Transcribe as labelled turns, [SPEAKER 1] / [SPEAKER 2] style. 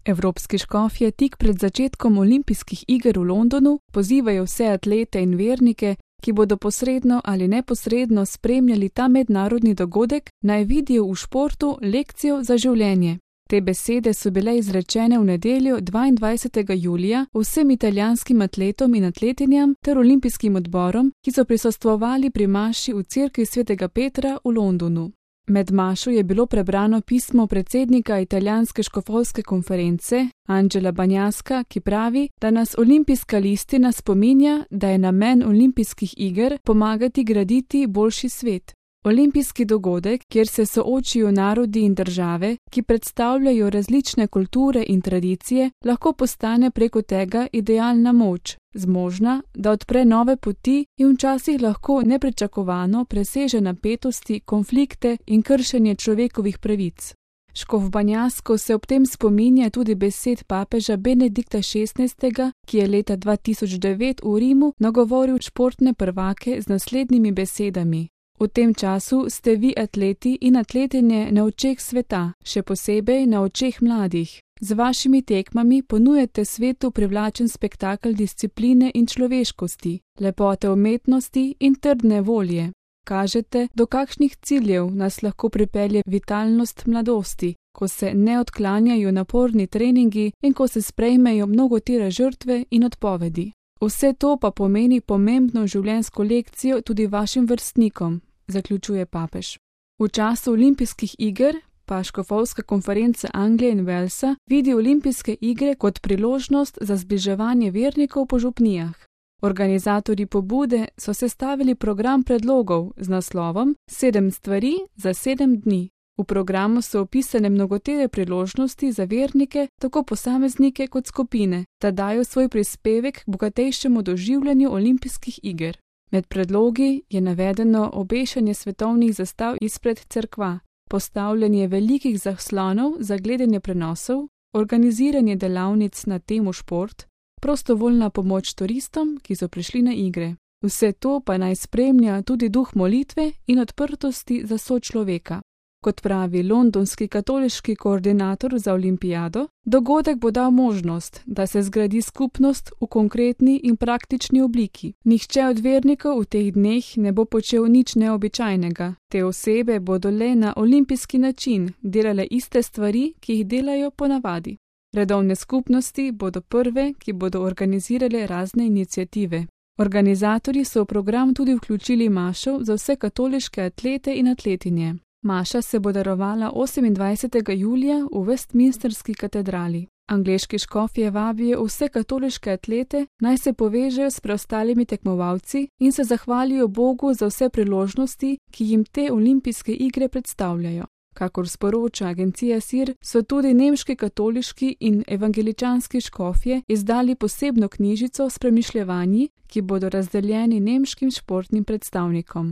[SPEAKER 1] Evropski škofje tik pred začetkom olimpijskih iger v Londonu pozivajo vse atlete in vernike, ki bodo posredno ali neposredno spremljali ta mednarodni dogodek, naj vidijo v športu lekcijo za življenje. Te besede so bile izrečene v nedeljo 22. julija vsem italijanskim atletom in atletinjam ter olimpijskim odborom, ki so prisostvovali pri maši v cerkvi svetega Petra v Londonu. Med mašo je bilo prebrano pismo predsednika italijanske škofovske konference Angela Bagnaska, ki pravi, da nas olimpijska listina spominja, da je namen olimpijskih iger pomagati graditi boljši svet. Olimpijski dogodek, kjer se soočijo narodi in države, ki predstavljajo različne kulture in tradicije, lahko postane preko tega idealna moč, zmožna, da odpre nove poti in včasih lahko nepričakovano preseže napetosti, konflikte in kršenje človekovih pravic. Škof Bagnasko se ob tem spominja tudi besed papeža Benedikta XVI., ki je leta 2009 v Rimu nagovoril športne prvake z naslednjimi besedami. V tem času ste vi atleti in atletinje na očeh sveta, še posebej na očeh mladih. Z vašimi tekmami ponujate svetu privlačen spektakel discipline in človeškosti, lepote umetnosti in trdne volje. Kažete, do kakšnih ciljev nas lahko pripelje vitalnost mladosti, ko se ne odklanjajo naporni treningi in ko se sprejmejo mnogotere žrtve in odpovedi. Vse to pa pomeni pomembno življenjsko lekcijo tudi vašim vrstnikom, zaključuje papež. V času olimpijskih iger pa škofovska konferenca Anglije in Walesa vidi olimpijske igre kot priložnost za zbliževanje vernikov po župnijah. Organizatorji pobude so sestavili program predlogov z naslovom 7 stvari za 7 dni. V programu so opisane mnogotere priložnosti za vernike, tako posameznike kot skupine, da dajo svoj prispevek k bogatejšemu doživljanju olimpijskih iger. Med predlogi je navedeno obešanje svetovnih zastav izpred cerkva, postavljanje velikih zaslonov za gledanje prenosov, organiziranje delavnic na temo šport, prostovoljna pomoč turistom, ki so prišli na igre. Vse to pa naj spremlja tudi duh molitve in odprtosti za sočloveka. Kot pravi londonski katoliški koordinator za olimpijado, dogodek bo dal možnost, da se zgradi skupnost v konkretni in praktični obliki. Nihče od vernikov v teh dneh ne bo počel nič neobičajnega. Te osebe bodo le na olimpijski način delale iste stvari, ki jih delajo ponavadi. Redovne skupnosti bodo prve, ki bodo organizirale razne iniciative. Organizatorji so v program tudi vključili mašo za vse katoliške atlete in atletinje. Maša se bo darovala 28. julija v Westminsterski katedrali. Angleški škofje vabijo vse katoliške atlete, naj se povežejo s preostalimi tekmovalci in se zahvalijo Bogu za vse priložnosti, ki jim te olimpijske igre predstavljajo. Kakor sporoča agencija SIR, so tudi nemški katoliški in evangeličanski škofje izdali posebno knjižico s premišljevanji, ki bodo razdeljeni nemškim športnim predstavnikom.